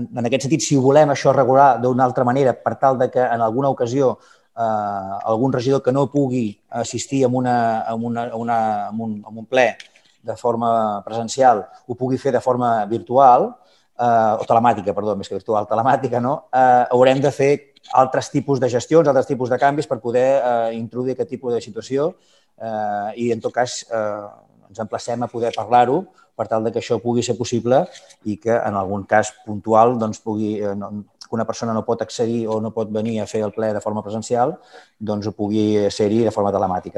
En aquest sentit, si volem això regular d'una altra manera per tal de que en alguna ocasió algun regidor que no pugui assistir a un ple de forma presencial ho pugui fer de forma virtual, o telemàtica, perdó, més que virtual, telemàtica, no? Haurem de fer altres tipus de gestions, altres tipus de canvis per poder introduir aquest tipus de situació i, en tot cas, ens emplacem a poder parlar-ho per tal que això pugui ser possible i que en algun cas puntual que una persona no pot accedir o no pot venir a fer el ple de forma presencial, doncs ho pugui ser-hi de forma telemàtica.